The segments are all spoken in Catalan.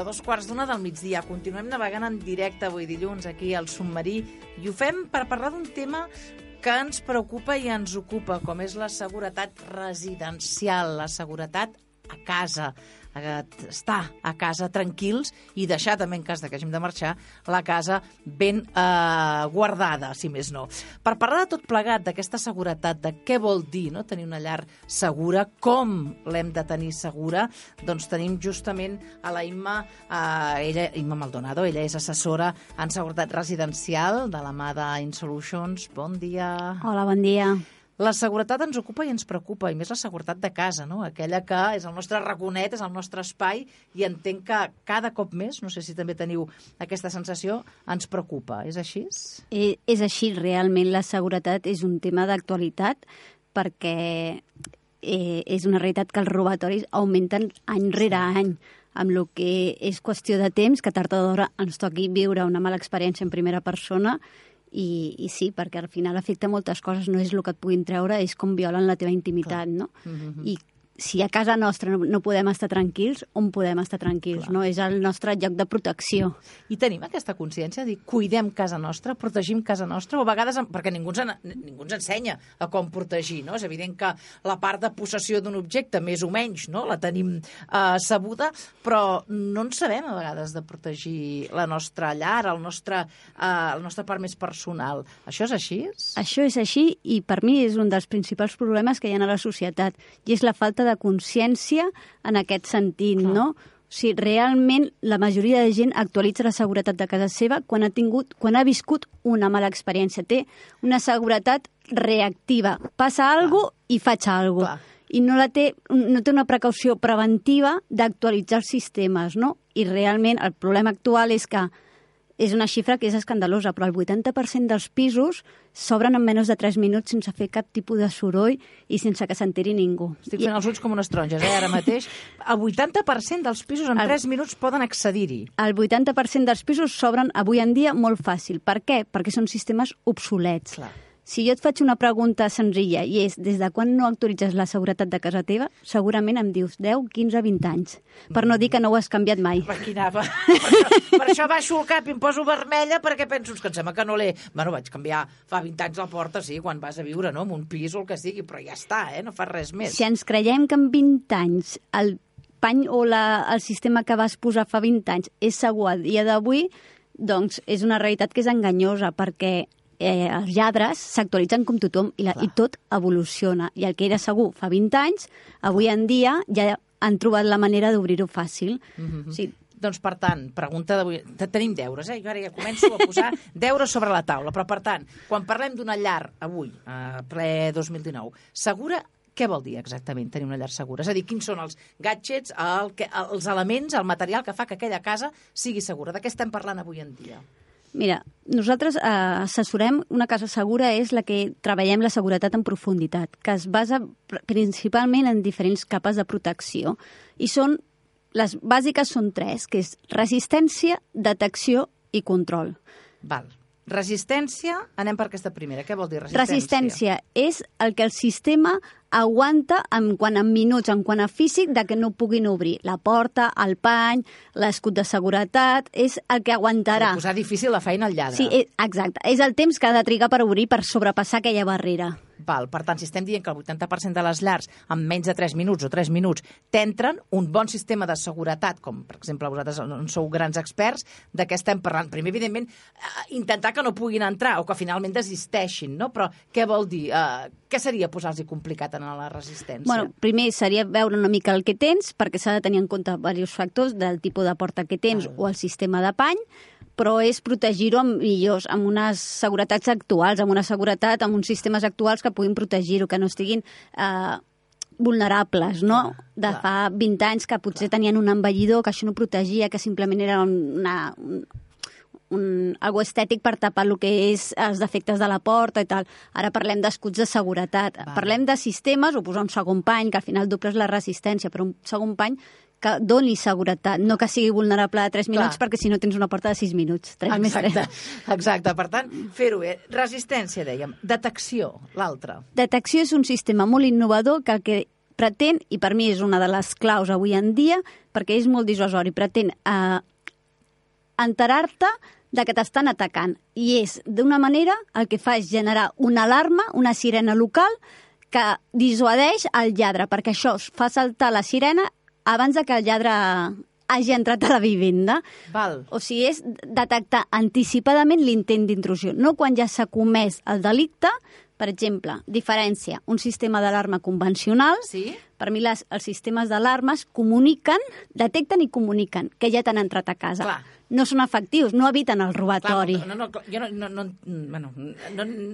minuts a 2:15 del migdia. Continuem navegant en directe avui dilluns aquí al Submarí i ho fem per parlar d'un tema que ens preocupa i ens ocupa, com és la seguretat residencial, la seguretat a casa, estar a casa tranquils i deixar també, en cas que hàgim de marxar, la casa ben guardada, si més no. Per parlar de tot plegat, d'aquesta seguretat, de què vol dir tenir una llar segura, com l'hem de tenir segura, doncs tenim justament a la Imma Maldonado. Ella és assessora en seguretat residencial de la mà d'InSolutions. Bon dia. Hola, bon dia. La seguretat ens ocupa i ens preocupa, i més la seguretat de casa, no? Aquella que és el nostre raconet, és el nostre espai, i entenc que cada cop més, no sé si també teniu aquesta sensació, ens preocupa. És així? És així, realment la seguretat és un tema d'actualitat perquè és una realitat que els robatoris augmenten any rere any, amb el que és qüestió de temps, que tard o d'hora ens toqui viure una mala experiència en primera persona. I sí, perquè al final afecta moltes coses, no és el que et puguin treure, és com violen la teva intimitat, no? I si a casa nostra no podem estar tranquils, on podem estar tranquils, no? És el nostre lloc de protecció. I tenim aquesta consciència de dir, cuidem casa nostra, protegim casa nostra, o a vegades, perquè ningú ens ensenya a com protegir, no? És evident que la part de possessió d'un objecte, més o menys, no? La tenim sabuda, però no en sabem a vegades de protegir la nostra llar, la nostra part més personal. Això és així? Això és així, i per mi és un dels principals problemes que hi ha a la societat, i és la falta de consciència en aquest sentit, no? O sigui, realment la majoria de gent actualitza la seguretat de casa seva quan ha viscut una mala experiència. Té una seguretat reactiva. Passa alguna cosa i faig alguna cosa. I no té una precaució preventiva d'actualitzar els sistemes, no? I realment el problema actual és que és una xifra que és escandalosa, però el 80% dels pisos s'obren en menys de 3 minuts sense fer cap tipus de soroll i sense que s'enteri ningú. Estic fent els ulls com unes taronges, ara mateix. El 80% dels pisos en 3 minuts poden accedir-hi. El 80% dels pisos s'obren avui en dia molt fàcil. Per què? Perquè són sistemes obsolets. Clar. Si jo et faig una pregunta senzilla i és des de quan no actualitzes la seguretat de casa teva, segurament em dius 10, 15, 20 anys. Per no dir que no ho has canviat mai. Maquinava. Per això baixo el cap i em poso vermella perquè penso que em sembla que no l'he... Bueno, vaig canviar fa 20 anys la porta, sí, quan vas a viure, no?, en un pis o el que sigui, però ja està, no fa res més. Si ens creiem que en 20 anys el pany o el sistema que vas posar fa 20 anys és segur a dia d'avui, doncs és una realitat que és enganyosa perquè els lladres s'actualitzen com tothom i tot evoluciona. I el que era segur fa 20 anys, avui en dia ja han trobat la manera d'obrir-ho fàcil. Sí. Doncs, per tant, pregunta d'avui... Tenim deures, Jo ara ja començo a posar deures sobre la taula. Però, per tant, quan parlem d'una llar avui, ple 2019, segura, què vol dir exactament tenir una llar segura? És a dir, quins són els gadgets, els elements, el material que fa que aquella casa sigui segura? De què estem parlant avui en dia? Mira, nosaltres assessorem una casa segura, és la que treballem la seguretat en profunditat, que es basa principalment en diferents capes de protecció. I les bàsiques són 3, que és resistència, detecció i control. Val. Resistència, anem per aquesta primera. Què vol dir resistència? Resistència és el que el sistema aguanta en quant a minuts, en quant a físic, de que no puguin obrir. La porta, el pany, l'escut de seguretat, és el que aguantarà. Posar difícil la feina al lladre. Sí, exacte. És el temps que ha de trigar per obrir, per sobrepassar aquella barrera. Val. Per tant, si estem dient que el 80% de les llars en menys de 3 minuts o 3 minuts t'entren un bon sistema de seguretat, com per exemple vosaltres en sou grans experts, de què estem parlant? Primer, evidentment, intentar que no puguin entrar o que finalment desisteixin, no? Però què vol dir? Què seria posar-los complicat en la resistència? Bueno, primer seria veure una mica el que tens, perquè s'ha de tenir en compte diversos factors del tipus de porta que tens o el sistema de pany, però és protegir-ho amb unes seguretats actuals, amb uns sistemes actuals que puguin protegir-ho, que no estiguin vulnerables, no? De fa 20 anys que potser tenien un envellidor, que això no protegia, que simplement era algo estètic per tapar el que és els defectes de la porta i tal. Ara parlem d'escuts de seguretat. Parlem de sistemes, o posar un segon pany, que al final dobles la resistència, però un segon pany que doni seguretat, no que sigui vulnerable a 3 minuts, perquè si no tens una porta de 6 minuts. Exacte. Per tant, fer-ho bé. Resistència, dèiem. Detecció, l'altra. Detecció és un sistema molt innovador que el que pretén, i per mi és una de les claus avui en dia, perquè és molt dissuasori, pretén enterar-te de que t'estan atacant. I és, d'una manera, el que fa és generar una alarma, una sirena local, que dissuadeix el lladre, perquè això fa saltar la sirena abans de que el lladre hagi entrat a la vivenda. Val. O sigui, és detectar anticipadament l'intent d'intrusió. No quan ja s'ha comès el delicte. Per exemple, diferència, un sistema d'alarma convencional. Sí. Per mi els sistemes d'alarmes detecten i comuniquen que ja t'han entrat a casa. Clar. No són efectius, no eviten el robatori. Clar, jo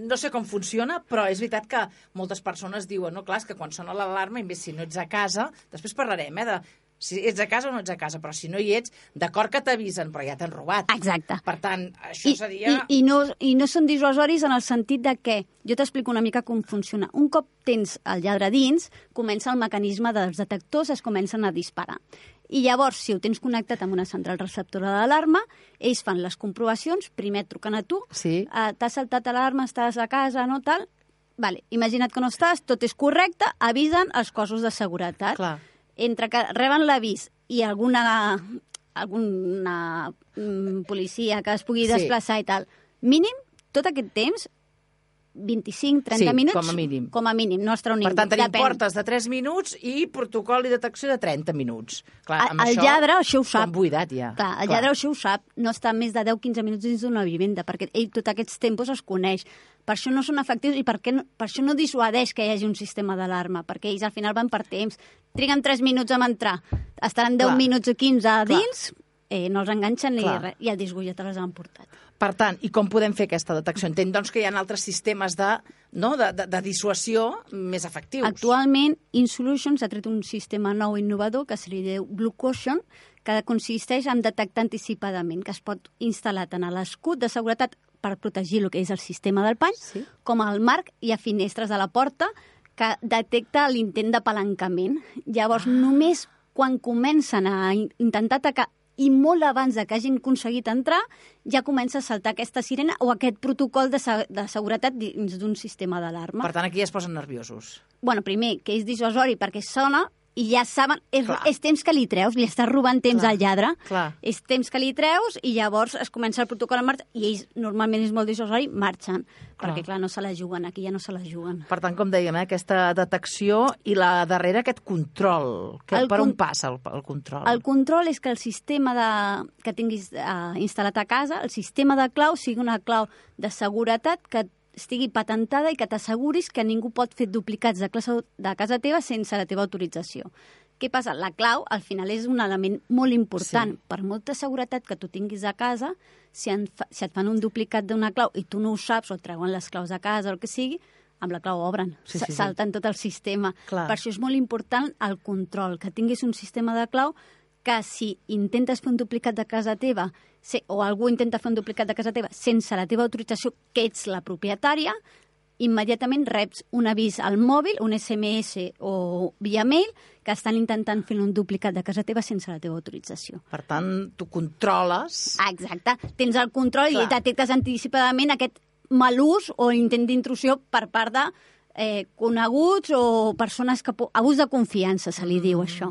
no sé com funciona, però és veritat que moltes persones diuen, no, clar, és que quan sona l'alarma, i més si no ets a casa, després parlarem, de si ets a casa o no ets a casa, però si no hi ets, d'acord que t'avisen, però ja t'han robat. Exacte. Per tant, això seria... I no són dissuasoris en el sentit de que, jo t'explico una mica com funciona. Un cop tens el lladre dins, comença el mecanisme dels detectors, es comencen a disparar. I llavors, si ho tens connectat amb una central receptora d'alarma, ells fan les comprovacions, primer et truquen a tu, Sí. T'has saltat l'alarma, estàs a casa, no tal... Vale, imagina't que no estàs, tot és correcte, avisen els cossos de seguretat. Clar. Entre que reben l'avís i alguna policia que es pugui desplaçar i tal, mínim, tot aquest temps, 25-30 minuts... com a mínim. Com a mínim, no es treu ningú. Per tant, tenim portes de 3 minuts i protocol i detecció de 30 minuts. Clar, amb el lladre això ho sap. Com buidat, ja. Clar, el lladre això ho sap. No està més de 10-15 minuts dins d'una vivenda, perquè ell tots aquests tempos els coneix. Per això no són efectius i per això no dissuadeix que hi hagi un sistema d'alarma, perquè ells al final van per temps. Triguen 3 minuts a entrar, estaran 10 minuts o 15 a dins, no els enganxen ni res, i el disgullet les han portat. Per tant, i com podem fer aquesta detecció? Entenc, doncs, que hi ha altres sistemes de dissuasió més efectius. Actualment, InSolutions ha tret un sistema nou innovador que se li diu Blue Caution, que consisteix en detectar anticipadament, que es pot instal·lar tant a l'escut de seguretat per protegir el que és el sistema del pany, com al marc i a finestres de la porta, que detecta l'intent d'apalancament. Llavors, només quan comencen a intentar atacar i molt abans de que hagin aconseguit entrar, ja comença a saltar aquesta sirena o aquest protocol de seguretat dins d'un sistema d'alarma. Per tant, aquí ja es posen nerviosos. Bueno, primer, que és dissuasori perquè sona i ja saben... És temps que li treus, li estàs robant temps al lladre. És temps que li treus i llavors es comença el protocol en marxa i ells, normalment és molt dissuasori, marxen. Perquè, clar, no se la juguen, aquí ja no se la juguen. Per tant, com dèiem, aquesta detecció i la darrera, aquest control. Per on passa el control? El control és que el sistema que tinguis instal·lat a casa, el sistema de clau, sigui una clau de seguretat que estigui patentada i que t'asseguris que ningú pot fer duplicats de casa teva sense la teva autorització. Què passa? La clau, al final, és un element molt important. Per molta seguretat que tu tinguis a casa, si et fan un duplicat d'una clau i tu no ho saps, o et treuen les claus de casa o el que sigui, amb la clau obren, salten tot el sistema. Per això és molt important el control, que tinguis un sistema de clau que si intentes fer un duplicat de casa teva o algú intenta fer un duplicat de casa teva sense la teva autorització, que ets la propietària, immediatament reps un avís al mòbil, un SMS o via mail, que estan intentant fer un duplicat de casa teva sense la teva autorització. Per tant, tu controles... Exacte. Tens el control i detectes anticipadament aquest mal ús o intent d'intrusió per part de coneguts o persones que... Abús de confiança, se li diu això.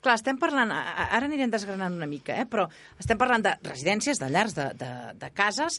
Clar, estem parlant, ara anirem desgranant una mica, però estem parlant de residències, de llars, de cases.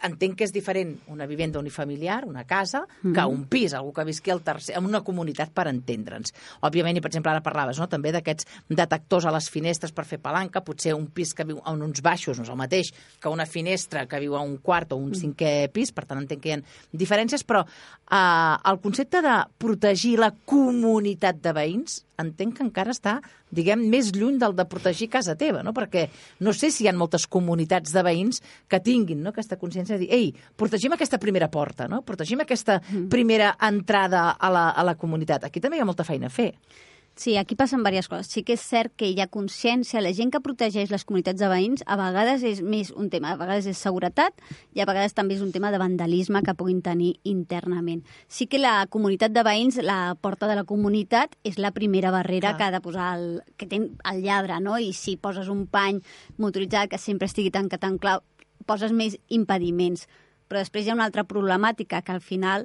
Entenc que és diferent una vivenda unifamiliar, una casa, que un pis, algú que visqui en una comunitat, per entendre'ns. Òbviament, i per exemple, ara parlaves també d'aquests detectors a les finestres per fer palanca, potser un pis que viu en uns baixos no és el mateix que una finestra que viu a un quart o un cinquè pis, per tant entenc que hi ha diferències, però el concepte de protegir la comunitat de veïns entenc que encara està, diguem, més lluny del de protegir casa teva, no? Perquè no sé si hi ha moltes comunitats de veïns que tinguin aquesta consciència de dir, ei, protegim aquesta primera porta, no? Protegim aquesta primera entrada a la comunitat. Aquí també hi ha molta feina a fer. Sí, aquí passen diverses coses. Sí que és cert que hi ha consciència, la gent que protegeix les comunitats de veïns a vegades és més un tema, a vegades és seguretat i a vegades també és un tema de vandalisme que puguin tenir internament. Sí que la comunitat de veïns, la porta de la comunitat, és la primera barrera que ha de posar que té el lladre, no? I si poses un pany motoritzat que sempre estigui tancat en clau, poses més impediments. Però després hi ha una altra problemàtica, que al final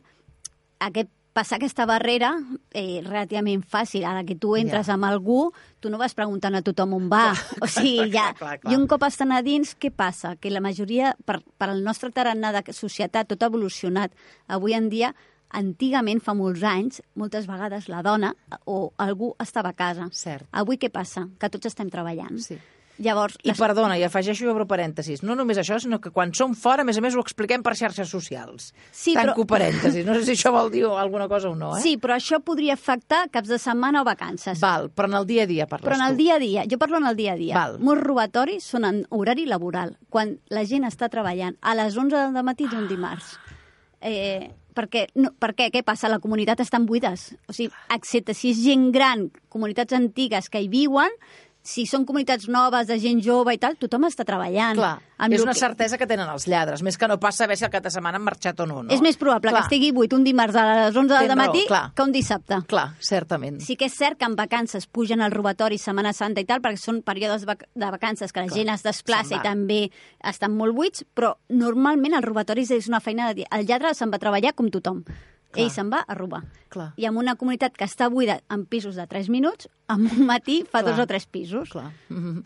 aquest passar aquesta barrera relativament fàcil. Ara que tu entres amb algú, tu no vas preguntant a tothom on va. O sigui, ja... I un cop estan a dins, què passa? Que la majoria, per al nostre tarannà de societat, tot ha evolucionat. Avui en dia, antigament, fa molts anys, moltes vegades la dona o algú estava a casa. Cert. Avui què passa? Que tots estem treballant. Sí. Llavors, perdona, i afegeixo i obro parèntesis, no només això, sinó que quan som fora, a més ho expliquem per xarxes socials. Sí, Tanco parèntesis, no sé si això vol dir alguna cosa o no, Sí, però això podria afectar caps de setmana o vacances. Val, però en el dia a dia parles tu. Però en el dia a dia, jo parlo en el dia a dia. Val. Molts robatoris són en horari laboral, quan la gent està treballant a les 11 del matí d'un dimarts. Per què? Què passa? La comunitat estan buides. O sigui, excepte si és gent gran, comunitats antigues que hi viuen, si són comunitats noves, de gent jove i tal, tothom està treballant. Clar, és una certesa que tenen els lladres, més que no pas saber si el cap de setmana han marxat o no. És més probable que estigui buit un dimarts a les 11 del matí que un dissabte. Clar, certament. Sí que és cert que en vacances pugen els robatoris Setmana Santa i tal, perquè són períodes de vacances que la gent es desplaça i també estan molt buits, però normalment els robatoris és una feina de dir. El lladre se'n va treballar com tothom. Ell se'n va a robar. Clar. I en una comunitat que està buida en pisos de 3 minuts, en un matí fa 2 o 3 pisos. Clar.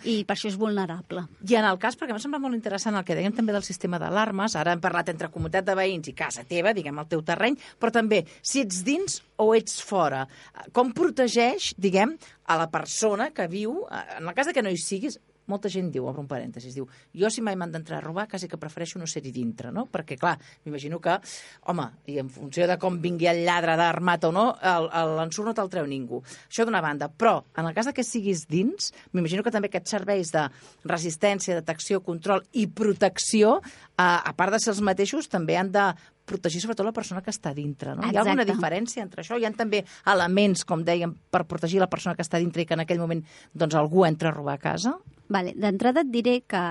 I per això és vulnerable. I en el cas, perquè m'ha semblat molt interessant el que dèiem també del sistema d'alarmes, ara hem parlat entre comunitat de veïns i casa teva, diguem, el teu terreny, però també si ets dins o ets fora. Com protegeix, diguem, a la persona que viu, en el cas de que no hi siguis, molta gent diu, obre un parèntesis, diu, jo si mai m'han d'entrar a robar, quasi que prefereixo no ser-hi dintre, no? Perquè, clar, m'imagino que, home, i en funció de com vingui el lladre d'armat o no, l'ensurt no te'l treu ningú. Això d'una banda. Però, en el cas de que siguis dins, m'imagino que també aquests serveis de resistència, detecció, control i protecció, a part de ser els mateixos, també han de protegir sobretot la persona que està dintre, no? Exacte. Hi ha alguna diferència entre això? Hi ha també elements, com dèiem, per protegir la persona que està dintre i que en aquell moment doncs, algú entra a robar a casa? Vale. D'entrada et diré que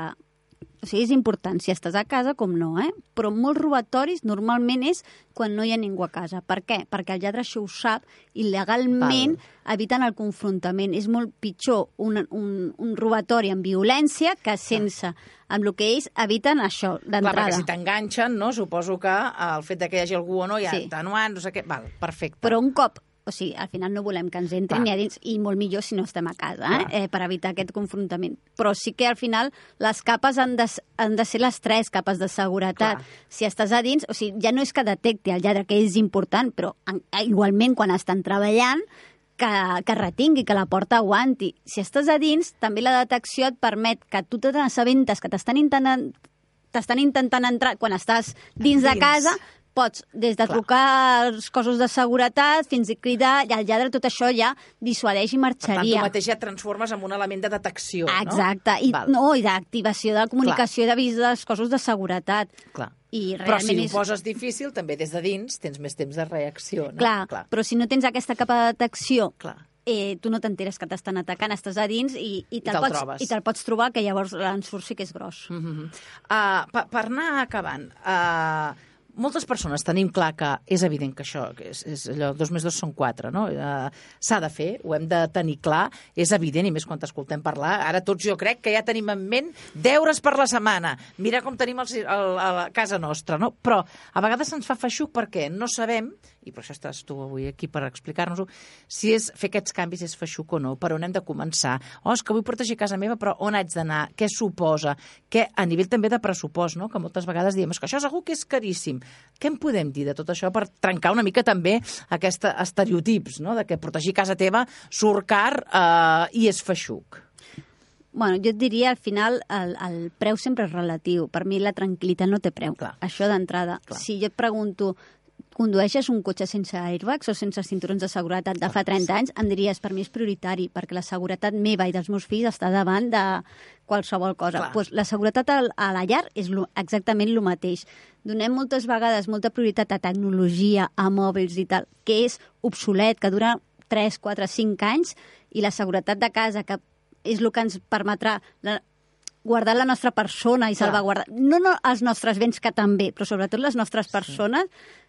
és important si estàs a casa com no, però molts robatoris normalment és quan no hi ha ningú a casa. Per què? Perquè el lladre això ho sap i legalment eviten el confrontament. És molt pitjor un robatori amb violència que sense. Amb el que ells eviten això, d'entrada. Clar, perquè si t'enganxen, no? Suposo que el fet que hi hagi algú o no, ja atenuant, no sé què... Val, perfecte. Però un cop... O sigui, al final no volem que ens entrin ni a dins, i molt millor si no estem a casa, per evitar aquest confrontament. Però sí que al final les capes han de ser les 3 capes de seguretat. Clar. Si estàs a dins, o sigui, ja no és que detecti el lladre, que és important, però igualment quan estan treballant, que retingui, que la porta aguanti. Si estàs a dins, també la detecció et permet que tu te n'assabentes que t'estan intentant entrar quan estàs dins de casa, pots, des de trucar als cossos de seguretat fins a cridar, i el lladre tot això ja dissuadeix i marxaria. Per tant, tu mateix ja et transformes en un element de detecció, no? Exacte, i d'activació de la comunicació i d'avís dels cossos de seguretat. Clar. Però si ho poses difícil, també des de dins tens més temps de reacció, no? Clar. Però si no tens aquesta capa de detecció, tu no t'enteres que t'estan atacant, estàs a dins i te'l pots trobar, que llavors l'ensurt sí que és gros. Per anar acabant, moltes persones tenim clar que és evident que això, és allò, 2 més 2 són 4, no? S'ha de fer, ho hem de tenir clar, és evident, i més quan t'escoltem parlar. Ara tots jo crec que ja tenim en ment deures per la setmana. Mira com tenim a casa nostra, no? Però a vegades se'ns fa feixuc perquè no sabem, i per això estàs tu avui aquí per explicar-nos-ho, si fer aquests canvis és feixuc o no, per on hem de començar. És que vull protegir casa meva, però on haig d'anar? Què suposa? A nivell també de pressupost, no? Que moltes vegades diem, que això segur que és caríssim. Què en podem dir de tot això per trencar una mica també aquests estereotips, no? De que protegir casa teva surt car i és feixuc? Bueno, jo et diria, al final, el preu sempre és relatiu. Per mi la tranquil·litat no té preu. Clar. Això d'entrada. Si jo et pregunto, condueixes un cotxe sense airbags o sense cinturons de seguretat de fa 30 anys, em diries, per mi és prioritari, perquè la seguretat meva i dels meus fills està davant de qualsevol cosa. Pues la seguretat a la llar és exactament el mateix. Donem moltes vegades molta prioritat a tecnologia, a mòbils i tal, que és obsolet, que dura 3, 4, 5 anys, i la seguretat de casa, que és el que ens permetrà guardar la nostra persona i salvaguardar... No els nostres béns, que també, però sobretot les nostres persones,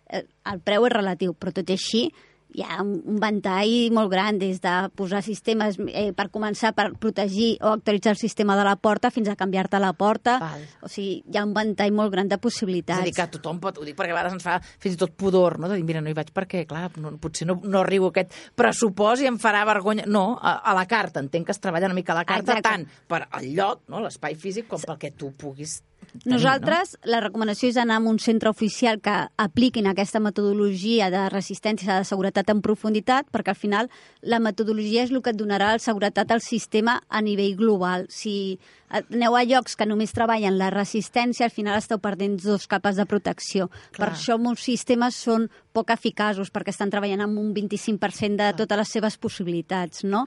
el preu és relatiu, però tot i així hi ha un ventall molt gran, des de posar sistemes per començar per protegir o actualitzar el sistema de la porta fins a canviar-te la porta. Val. O sigui, hi ha un ventall molt gran de possibilitats. És a dir, que tothom pot, ho dic perquè a vegades ens fa fins i tot pudor, no? De dir, mira, no hi vaig perquè, clar, potser no arribo a aquest pressupost i em farà vergonya. No, a la carta, entenc que es treballa una mica a la carta, tant per al lloc, no? L'espai físic, com pel que tu puguis tenir, nosaltres, no? La recomanació és anar a un centre oficial que apliquin aquesta metodologia de resistència de seguretat en profunditat, perquè al final la metodologia és el que et donarà la seguretat al sistema a nivell global. Si aneu a llocs que només treballen la resistència, al final esteu perdent 2 capes de protecció. Clar. Per això molts sistemes són poc eficaços, perquè estan treballant amb un 25% de totes les seves possibilitats, no?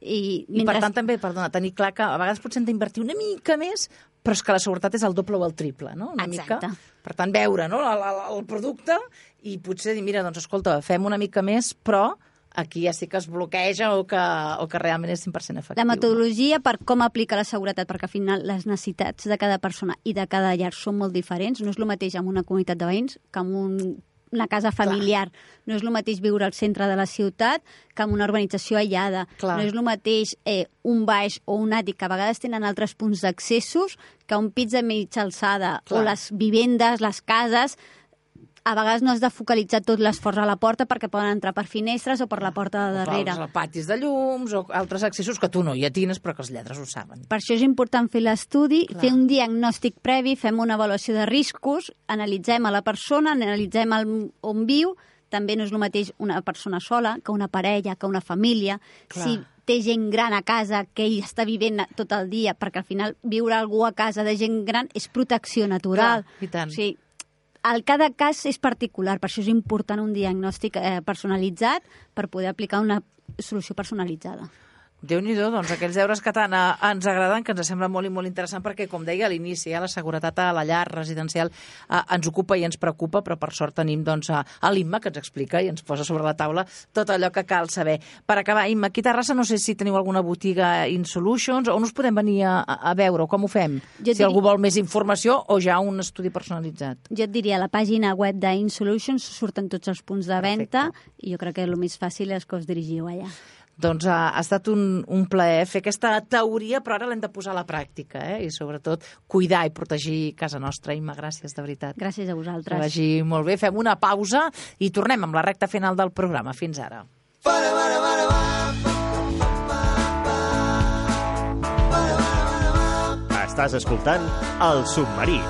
I per tant també, perdona, tenir clar que a vegades potser hem d'invertir una mica més, però és que la seguretat és el doble o el triple, no? Una Exacte. mica. Per tant, veure, no? el producte i potser dir, mira, doncs escolta, fem una mica més, però aquí ja sí que es bloqueja o que realment és 100% efectiu. La metodologia per com aplicar la seguretat, perquè al final les necessitats de cada persona i de cada llar són molt diferents. No és el mateix en una comunitat de veïns que en una casa familiar. Clar. No és el mateix viure al centre de la ciutat que en una urbanització aïllada. Clar. No és el mateix un baix o un àtic, que a vegades tenen altres punts d'accessos, que un pis de mitja alçada. Clar. O les vivendes, les cases. A vegades no has de focalitzar tot l'esforç a la porta perquè poden entrar per finestres o per la porta de darrere. O patis de llums o altres accessos que tu no hi atines però que els lladres ho saben. Per això és important fer l'estudi, fer un diagnòstic previ, fem una avaluació de riscos, analitzem a la persona, analitzem on viu. També no és el mateix una persona sola que una parella, que una família. Clar. Si té gent gran a casa que ell està vivint tot el dia, perquè al final viure algú a casa de gent gran és protecció natural. Clar, i tant. O sigui, cada cas és particular, per això és important un diagnòstic personalitzat per poder aplicar una solució personalitzada. Déu-n'hi-do, doncs aquells deures que tant ens agraden, que ens sembla molt i molt interessant, perquè, com deia a l'inici, la seguretat a la llar residencial ens ocupa i ens preocupa, però per sort tenim doncs, a l'Imma, que ens explica i ens posa sobre la taula tot allò que cal saber. Per acabar, Imma, aquí a Terrassa no sé si teniu alguna botiga InSolutions, on us podem venir a veure, o com ho fem? Si algú vol més informació o ja un estudi personalitzat. Jo et diria, a la pàgina web d'InSolutions surten tots els punts de venda. Perfecte. I jo crec que el més fàcil és que us dirigiu allà. Doncs ha estat un plaer fer aquesta teoria, però ara l'hem de posar a la pràctica, i sobretot cuidar i protegir casa nostra. Imma, gràcies, de veritat. Gràcies a vosaltres. Que vagi molt bé. Fem una pausa i tornem amb la recta final del programa. Fins ara. Estàs escoltant El Submarí.